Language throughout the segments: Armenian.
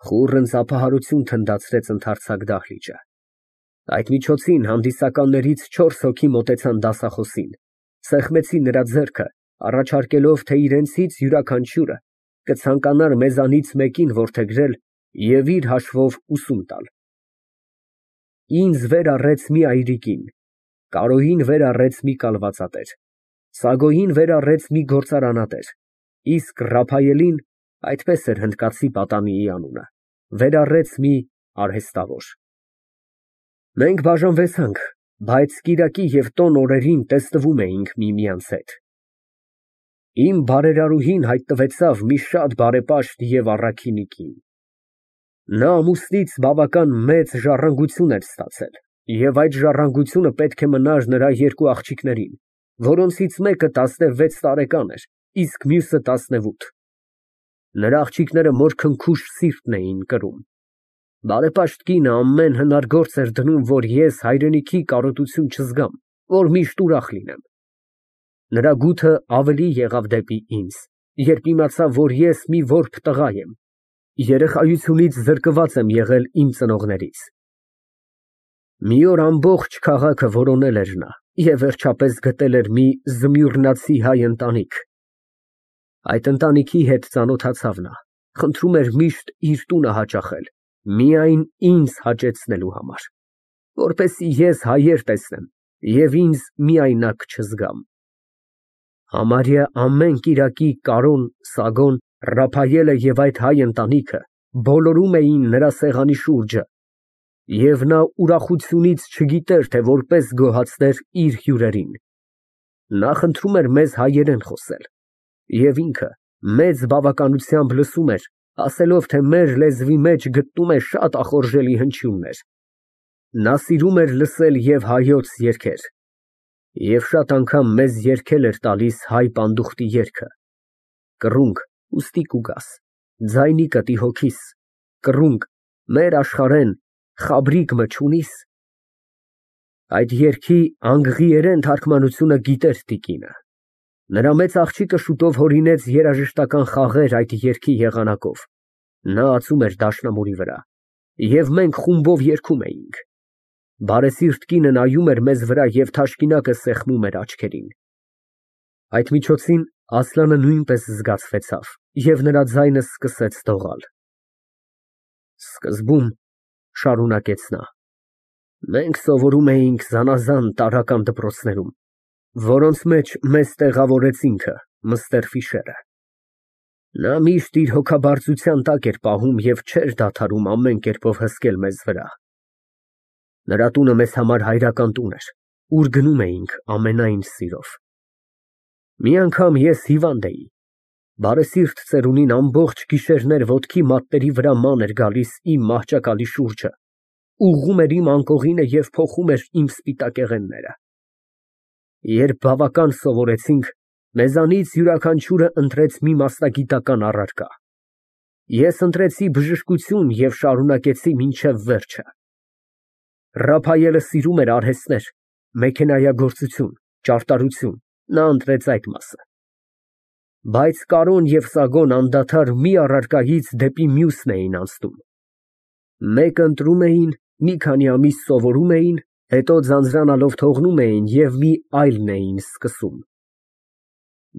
Խուռն ծափահարություն թնդացրեց ընդարձակ դահլիճը։ Այդ միջոցին հանդիսականներից 4 հոգի մոտեցան դասախոսին, սեղմեցին նրա ձեռքը, առաջարկելով, թե իրենցից յուրաքանչյուրը կցանկանար մեզանից մեկին որդեգրել և իր հաշվով ուսում տալ։ Ինձ վեր առեց մի այրիկին, Կարոյին վեր առեց մի կալվածատեր, Սագոյին վեր առեց մի գործարանատեր, իսկ Ռափայելին (այդպես էր հնդկացի պատանիի անունը) վեր առեց մի արհեստավոր։ Մենք բաժանվեցանք, բայց կիրակի և տոն օրերին տեսնվում էինք միմյանց հետ։ Իմ բարերարուհին հայտնվեցավ մի շատ բարեպաշտ և առաքինի կին։ Նա ամուսնից բավական մեծ ժառանգություն էր ստացել, և այդ ժառանգությունը պետք է մնար նրա 2 աղջիկներին, որոնցից մեկը 16 տարեկան էր, իսկ մյուսը 18։ Նրա աղջիկները մորքնքուշ սիրտն էին կրում։ Բարեպաշտ կինը ամեն հնար գործ էր դնում, որ ես հայրենիքի կարոտություն չզգամ, որ միշտ ուրախ լինեմ։ Նրա գութը ավելի եղավ դեպի ինձ, երբ իմացավ, որ ես մի որբ տղա եմ, երեխայությունից զրկված եմ եղել իմ ծնողներից։ Մի օր ամբողջ քաղաքը որոնել էր նա և վերջապես գտել էր մի զմյուռնացի հայ ընտանիք։ Այդ ընտանիքի հետ ծանոթացավ նա, խնդրում էր միշտ իր տունը հաճախել, միայն ինձ հաճեցնելու համար, որպեսզի ես հայեր տեսնեմ և ինձ միայնակ չզգամ։ Համարյա ամեն կիրակի Կարոն, Սագոն, Ռափայելը և այդ հայ ընտանիքը բոլորում էին նրա սեղանի շուրջը, և նա ուրախությունից չգիտեր, թե որպես գոհացներ իր հյուրերին։ Նա խնդրում էր մեզ հայերեն խոսել, և ինքը մեծ բավականությամբ լսում էր, ասելով, թե մեր լեզվի մեջ գտնում է շատ ախորժելի հնչյուններ։ Նա սիրում էր լսել և հայոց երգեր, և շատ անգամ մեզ երգել էր տալիս հայ պանդուխտի երգը. Կռունկ, ուստի կուգաս, ձայնի կտի հոգիս, կռունկ, մեր աշխարհեն խաբրիկ-ը չունի՞ս։ Այդ երգի անգղիերեն թարգմանությունը գիտեր տիկինը։ Նրա մեծ աղջիկը շուտով հորինեց երաժշտական խաղեր այդ երգի եղանակով։ Նա ածում էր դաշնամուրի վրա, և մենք խումբով երգում էինք։ Բարեսիրտ կինը նայում էր մեզ վրա և թաշկինակը սեղմում էր աչքերին։ Այդ միջոցին Ասլանը նույնպես զգացվեցավ, և նրա ձայնը սկսեց դողալ։ Սկզբում, շարունակեց նա, մենք սովորում էինք զանազան տարրական դպրոցներում, որոնց մեջ մեզ տեղավորեց ինքը, Մըստեր։ Նա միշտ իր հոգաբարձության տակ էր պահում և չէր դադարում ամեն կերպով հսկել մեզ վրա։ Նրա տունը մեզ համար հայրական տուն էր, ուր գնում էինք ամենայն սիրով։ Մի անգամ ես հիվանդ էի։ Բարեսիրտ ծերունին ամբողջ գիշերներ ոտքի մատների վրա ման էր գալիս իմ մահճակալի շուրջը, ուղղում էր իմ անկողինը և փոխում էր իմ սպիտակեղենները։ Երբ բավական սովորեցինք, մեզանից յուրաքանչյուրը ընտրեց մի մասնագիտական առարկա։ Ես ընտրեցի բժշկություն և շարունակեցի մինչև վերջը։ Ռափայելը սիրում էր արհեստներ, մեքենայագործություն, ճարտարություն, նա ընտրեց այդ մասը։ Բայց Կարոն և Սագոն անդադար մի առարկայից դեպի մյուսն էին անցնում։ Մեկը ընտրում էին, մի քանի ամիս սովորում էին, հետո ձանձրանալով թողնում էին և մի այլն էին սկսում։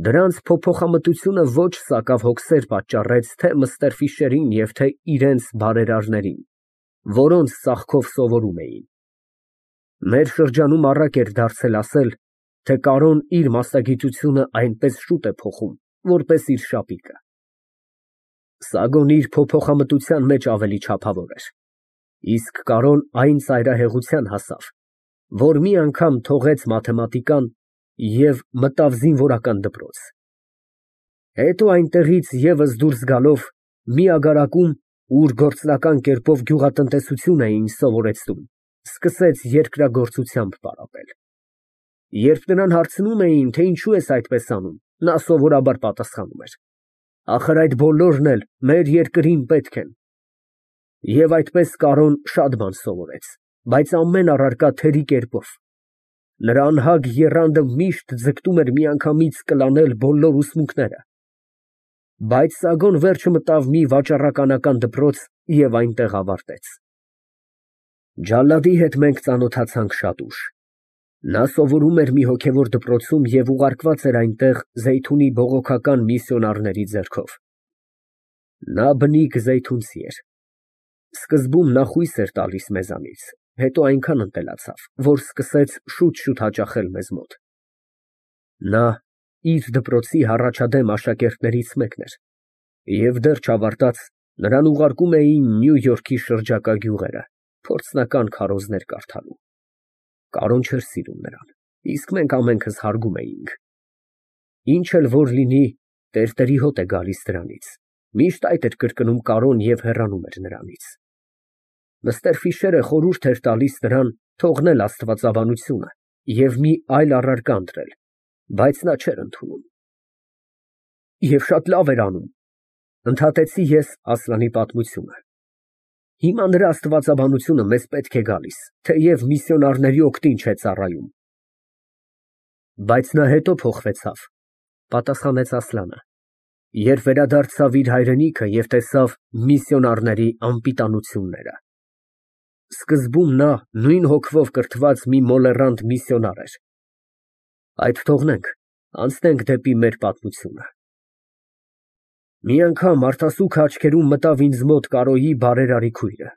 Դրանց փոփոխամտությունը ոչ սակավ հոգսեր պատճառեց թե Մըստեր և թե իրանց բարերարներին, որոնց ծախքով սովորում էին։ Մեր շրջանում առակ էր դարձել ասել, թե Կարոն իր մասնագիտությունը այնպես շուտ է փոխում, որպես իր շապիկը։ Սագոն իր փոփոխամտության մեջ ավելի չափավոր էր, իսկ Կարոն այն ծայրահեղության հասավ, որ մի անգամ թողեց մաթեմատիկան և մտավ զինվորական դպրոց։ Հետո այնտեղից ևս դուրս գալով, մի ագարակում, ուր գործնական կերպով գյուղատնտեսություն էին սովորեցնում, սկսեց երկրագործությամբ պարապել։ Երբ նրան հարցնում էին, թե ինչու ես այդպես անում, նա սովորաբար պատասխանում էր. «Ախր այդ բոլորն էլ մեր երկրին պետք են»։ Եվ այդպես Կարոն շատ բան սովորեց, բայց ամեն առարկա թերի կերպով։ Նրա անհագ եռանդը միշտ ձգտում էր միանգամից կլանել բոլոր ուսմունքները։ Բայց Սագոն վերջը մտավ մի վաճառականական դպրոց և այնտեղ ավարտեց։ Ջալադի հետ մենք ծանոթացանք շատ ուշ։ Նա սովորում էր մի հոգևոր դպրոցում և ուղարկված էր այնտեղ Զեյթունի բողոքական միսիոնարների ձեռքով։ Նա բնիկ զեյթունցի էր։ Սկզբում նա խույս էր տալիս մեզանից, հետո այնքան ընտելացավ, որ սկսեց շուտ հաճախել մեզ մոտ։ Նա իր դպրոցի հառաջադեմ աշակերտներից մեկն էր, և դեռ չավարտած նրան ուղարկում էին Նյու Յորքի շրջակա գյուղերը փորձնական քարոզներ կարդալու։ Կարոն չէր սիրում նրան, իսկ մենք ամենքս հարգում էինք։ Ինչ էլ որ լինի, տերտերի հոտ է գալիս դրանից, միշտ այդ էր կրկնում Կարոն և հեռանում էր նրանից։ Մըստեր Ֆիշերը խորհուրդ էր տալիս նրան թողնել աստվածաբանությունը և մի այլ առարկա ընտրել, բայց նա չէր ընդունում։ Եվ շատ լավ էր անում, ընդհատեցի ես Ասլանի պատմությունը։ Հիմա նրա աստվածաբանությունը մեզ պետք է գալիս, թեև միսիոնարների օգտին չէ ծառայում։ Բայց նա հետո փոխվեցավ, պատասխանեց Ասլանը, երբ վերադարձավ իր հայրենիքը և տեսավ միսիոնարների անպիտանությունները։ Սկզբում նա նույն հոգվով կրթված մի մոլեռանդ միսիոնար էր։ Այդ թողնենք, անցնենք դեպի մեր պատմությունը։ Մի անգամ արտասուքը աչքերում մտավ ինձ մոտ Կարոյի բարերարի քույրը։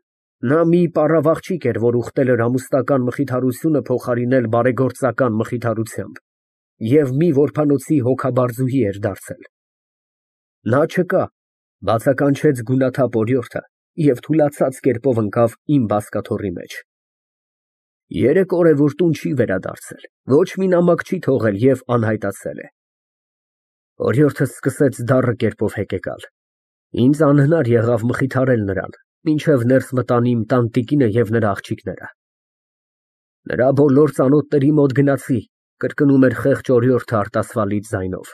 Նա մի պառավ աղջիկ էր, որ ուխտել էր ամուսնական մխիթարությունը փոխարինել բարեգործական մխիթարությամբ և մի որբանոցի հոգաբարձուհի էր դարձել։ Նա չկա, բացականչեց գունաթափ օրիորդը և թուլացած կերպով ընկավ իմ բազկաթոռի մեջ։ 3 օր է, որ տուն չի վերադարձել, ոչ մի նամակ չի թողել և անհայտացել է։ Օրիորդս սկսեց դառը կերպով հեկեկալ։ Ինձ անհնար եղավ մխիթարել նրան, մինչև ներս մտան իմ տանտիկինը և նրա աղջիկները։ Նրա բոլոր ծանոթների մոտ գնացի, կրկնում էր խեղճ օրիորդը արտասվալից ձայնով։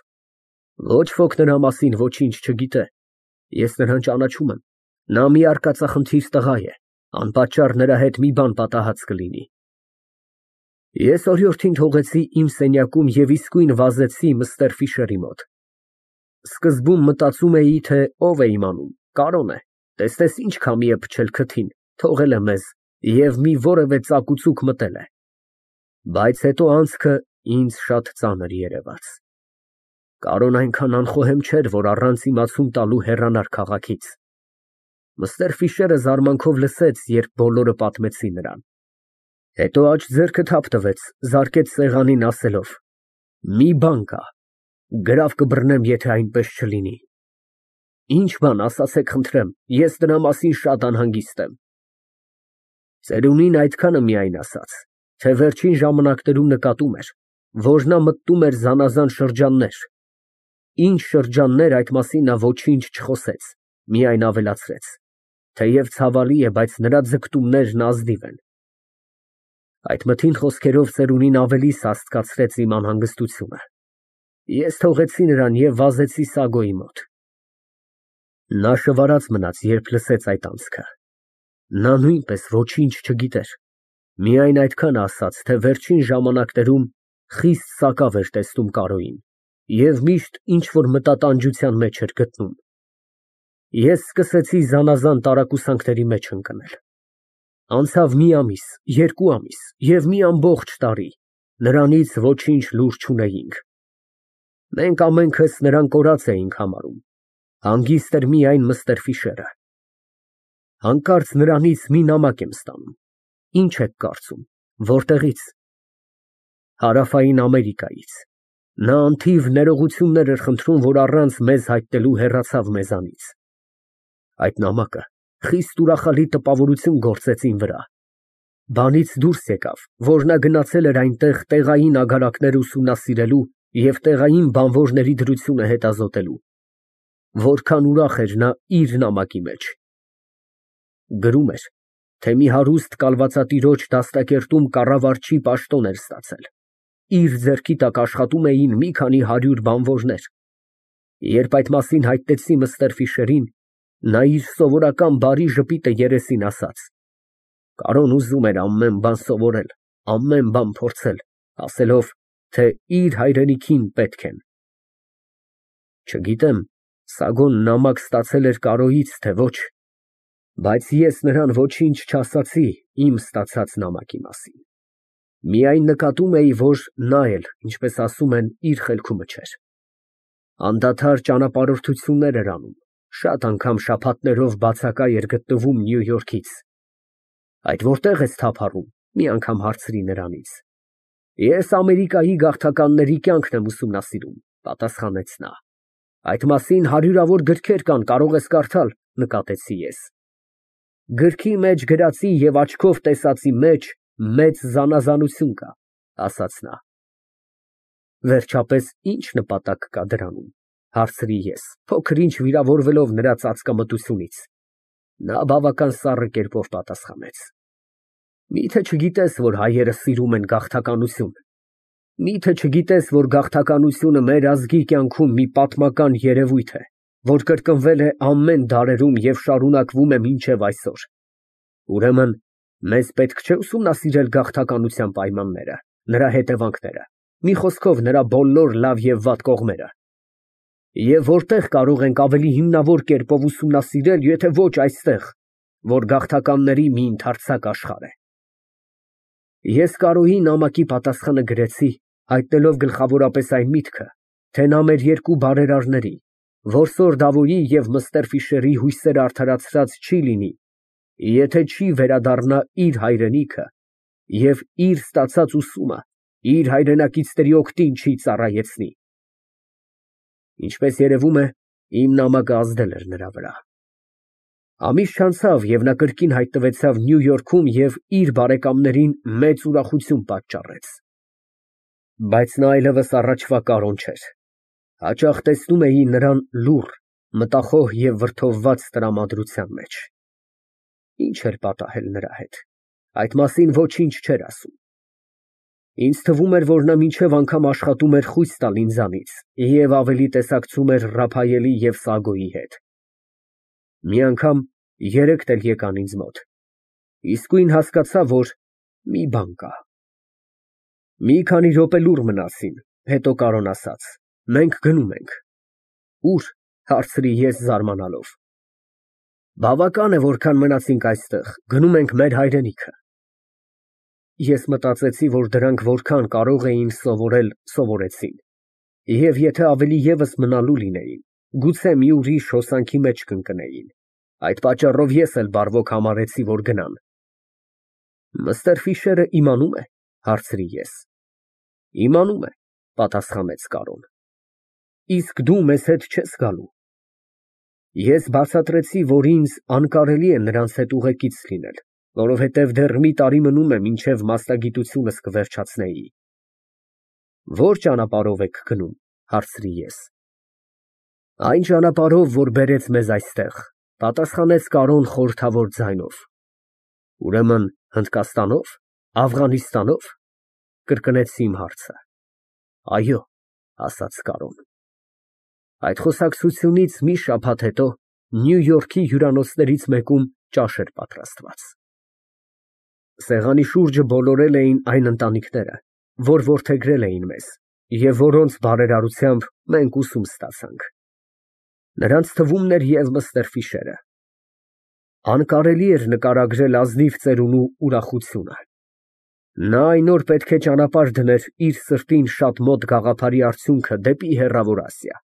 Ոչ ոք նրա մասին ոչինչ չգիտե։ Ես նրան ճանաչում եմ։ Նա մի արկածախնդիր տղա է, անպատճառ նրա հետ մի բան պատահած կլինի։ Ես օրիորդին թողեցի իմ սենյակում և իսկույն վազեցի մըստեր Ֆիշերի մոտ։ Սկզբում մտածում էի, թե ով է իմանում, Կարոն է, տեսնես ինչ քամի է փչել քթին, թողել է մեզ և մի որևէ ծակուցուկ մտել է։ Բայց հետո անցքը ինձ շատ ծանր երևաց։ Կարոն այնքան անխոհեմ չէր, որ առանց իմացում տալու հեռանար քաղաքից։ Մըստեր Ֆիշերը զարմանքով լսեց, երբ բոլորը պատմեցին նրան։ Հետո աջ ձեռքը թափ տվեց, զարկեց սեղանին ասելով. «Մի բան կա, գրավ կբռնեմ, եթե այնպես չլինի»։ Ինչ բան, ասացեք խնդրեմ, ես դրա մասին շատ անհանգիստ եմ։ Ծերունին այդքանը միայն ասաց, թե վերջին ժամանակներում նկատում էր, որ նա մտնում էր զանազան շրջաններ։ Ինչ շրջաններ, այդ մասին նա ոչինչ չխոսեց, միայն ավելացրեց. թեև ցավալի է, բայց նրա ձգտումներն ազնիվ են։ Այդ մթին խոսքերով ծերունին ավելի սաստկացրեց իմ անհանգստությունը։ Ես թողեցի նրան և վազեցի Սագոյի մոտ։ Նա շվարած մնաց, երբ լսեց այդ անցքը։ Նա նույնպես ոչինչ չգիտեր, միայն այդքան ասաց, թե վերջին ժամանակներում խիստ սակավ էր տեսնում Կարոյին և միշտ ինչ֊որ մտատանջության մեջ էր գտնում։ Ես սկսեցի զանազան տարակուսանքների մեջ ընկնել։ Անցավ մի ամիս, 2 ամիս և մի ամբողջ տարի, նրանից ոչինչ լուր չունեինք։ Մենք ամենքս նրան կորած էինք համարում, հանգիստ էր միայն մըստեր Ֆիշերը։ Հանկարծ նրանից մի նամակ եմ ստանում։ Ինչ եք կարծում, որտեղի՞ց։ Հարավային Ամերիկայից։ Նա անթիվ ներողություններ էր խնդրում, որ առանց մեզ հայտնելու հեռացավ մեզանից։ Այդ նամակը խիստ ուրախալի տպավորություն գործեց իմ վրա։ Բանից դուրս եկավ, որ նա գնացել էր այնտեղ տեղային ագարակներ ուսումնասիրելու և տեղային բանվորների դրությունը հետազոտելու։ Որքան ուրախ էր նա իր նամակի մեջ։ Գրում էր, թե մի հարուստ կալվածատիրոջ դաստակերտում կառավարչի պաշտոն էր ստացել։ Իր ձեռքի տակ աշխատում էին մի քանի 100 բանվորներ։ Երբ այդ մասին հայտնեցի մըստեր Ֆիշերին, նա իր սովորական բարի ժպիտը երեսին ասաց. Կարոն ուզում էր ամեն բան սովորել, ամեն բան փորձել, ասելով, թե իր հայրենիքին պետք են։ Չգիտեմ, Սագոն նամակ ստացել էր Կարոյից, թե ոչ, բայց ես նրան ոչինչ չասացի իմ ստացած նամակի մասին։ Միայն նկատում էի, որ նա էլ, ինչպես ասում են, իր խելքումը չէր։ Անդադար ճանապարհորդություններ էր անում, շատ անգամ շաբաթներով բացակա էր գտնվում Նյու Յորքից։ Այդ որտե՞ղ ես թափառում, մի անգամ հարցրի նրանից։ Ես Ամերիկայի գաղթականների կյանքն եմ ուսումնասիրում, պատասխանեց նա։ Այդ մասին հարյուրավոր գրքեր կան, կարող ես կարդալ, նկատեցի ես։ Գրքի մեջ գրածի և աչքով տեսածի մեջ մեծ զանազանություն կա, ասաց նա։ Վերջապես, ինչ նպատակ կա դրանում, հարցրի ես, փոքր-ինչ վիրավորվելով նրա ծածկամտությունից։ Նա բավական սառը կերպով պատասխանեց. Միթե չգիտես, որ հայերը սիրում են գաղթականություն։ Միթե չգիտես, որ գաղթականությունը մեր ազգի կյանքում մի պատմական երևույթ է, որ կրկնվել է ամեն դարերում և շարունակվում է մինչև այսօր։ Ուրեմն, մեզ պետք չէ ուսումնասիրել գաղթականության պայմանները, նրա հետևանքները, մի խոսքով նրա բոլոր լավ և վատ կողմերը։ Եվ որտեղ կարող ենք ավելի հիմնավոր կերպով ուսումնասիրել, եթե ոչ այստեղ, որ գաղթականների մի ընդարձակ աշխարհ է։ Ես Կարոյի նամակի պատասխանը գրեցի, հայտնելով գլխավորապես այն միտքը, թե նա մեր երկու բարերարների, որսոր Դավոյի և Մըստեր Ֆիշերի հույսերը արդարացրած չի լինի, եթե չի վերադառնա իր հայրենիքը և իր ստացած ուսումը իր հայրենակիցների օգտին չի ծառայեցնի։ Ինչպես երևում է, իմ նամակը ազդել էր նրա վրա։ Ամիս չանցավ, և նա կրկին հայտնվեցավ Նյու Յորքում և իր բարեկամներին մեծ ուրախություն պատճառեց։ Բայց նա այլևս առաջվա Կարոն չէր։ Հաճախ տեսնում էի նրան լուռ, մտախոհ և վրդովված տրամադրության մեջ։ Ինչ էր պատահել նրա հետ, այդ մասին ոչինչ չէր ասում։ Ինձ թվում էր, որ նա մինչև անգամ աշխատում էր խույս տալ ինձանից և ավելի տեսակցում էր Ռափայելի և Սագոյի հետ։ Մի անգամ երեքդ էլ եկան ինձ մոտ։ Իսկույն հասկացա, որ մի բան կա։ Մի քանի րոպե լուռ մնացին, հետո Կարոն ասաց. Մենք գնում ենք։ Ո՞ւր, հարցրի ես զարմանալով։ Բավական է, որքան մնացինք այստեղ, գնում ենք մեր հայրենիքը։ Ես մտածեցի, որ դրանք որքան կարող էին սովորել, սովորեցին, և եթե ավելի ևս մնալու լինեին, գուցե մի ուրիշ հոսանքի մեջ կընկնեին։ Այդ պատճառով ես էլ բարվոք համարեցի, որ գնան։ Մըստեր Ֆիշերը իմանում է, հարցրի ես։ Իմանում է, պատասխանեց Կարոն։ Իսկ դու մեզ հետ չես գալու։ Ես բացատրեցի, որ ինձ անկարելի է նրանց հետ ուղեկից լինել, որովհետև դեռ մի տարի մնում է, մինչև մասնագիտությունս կվերջացնեի։ Ո՞ր ճանապարհով եք գնում, հարցրի ես։ Այն ճանապարհով, որ բերեց մեզ այստեղ, պատասխանեց Կարոն խորհրդավոր ձայնով։ Ուրեմն Հնդկաստանո՞վ, Աֆղանիստանո՞վ, կրկնեցի իմ հարցը։ Այո, ասաց Կարոն։ Այդ խոսակցությունից մի շաբաթ հետո Նյու Յորքի հյուրանոցներից մեկում ճաշ էր պատրաստված։ Սեղանի շուրջը բոլորել էին այն ընտանիքները, որ որդեգրել էին մեզ, և որոնց բարերարությամբ մենք ուսում ստացանք։ Նրանց թվում էր և Մըստեր Ֆիշերը։ Անկարելի էր նկարագրել ազնիվ ծերունու ուրախությունը։ Նա այն օր պետք է ճանապարհ դներ իր սրտին շատ մոտ գաղափարի արդյունքը դեպի հեռավոր Ասիա։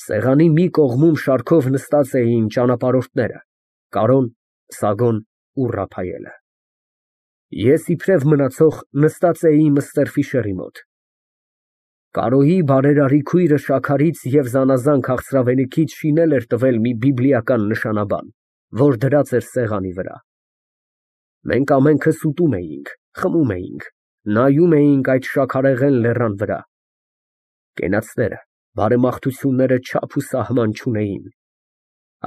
Սեղանի մի կողմում շարքով նստած էին ճանապարհորդները՝ Կարոն, Սագոն ու Ռափայելը։ Ես իբրև մնացող նստած էի Մըստեր Ֆիշերի մոտ։ Կարոյի բարերարի քույրը շաքարից և զանազան քաղցրավենիքից շինել էր տվել մի բիբլիական նշանաբան, որ դրած էր սեղանի վրա։ Մենք ամենքս ուտում էինք, խմում էինք, նայում էինք այդ շաքարեղեն լեռան վրա։ Կենացները, բարեմաղթությունները չափ ու սահման չունեին։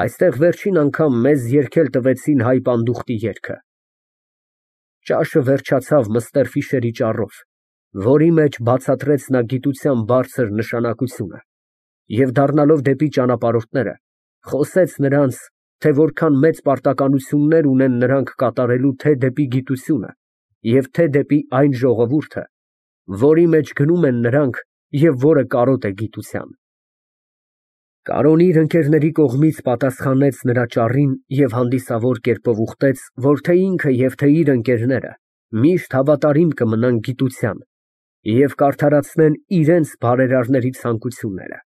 Այստեղ վերջին անգամ մեզ երգել տվեցին հայ պանդուխտի երգը։ Ճաշը վերջացավ Մըստեր Ֆիշերի ճառով, որի մեջ բացատրեց նա գիտության բարձր նշանակությունը, և դառնալով դեպի ճանապարհորդները, խոսեց նրանց, թե որքան մեծ պարտականություններ ունեն նրանք կատարելու թե դեպի գիտությունը և թե դեպի այն ժողովուրդը, որի մեջ գնում են նրանք և որը կարոտ է գիտության։ Կարոնն իր ընկերների կողմից պատասխանեց նրա ճառին և հանդիսավոր կերպով ուխտեց, որ թե ինքը և թե իր ընկերները միշտ հավատարիմ կմնան գիտության և կարդարացնեն իրանց բարերարների ցանկությունները։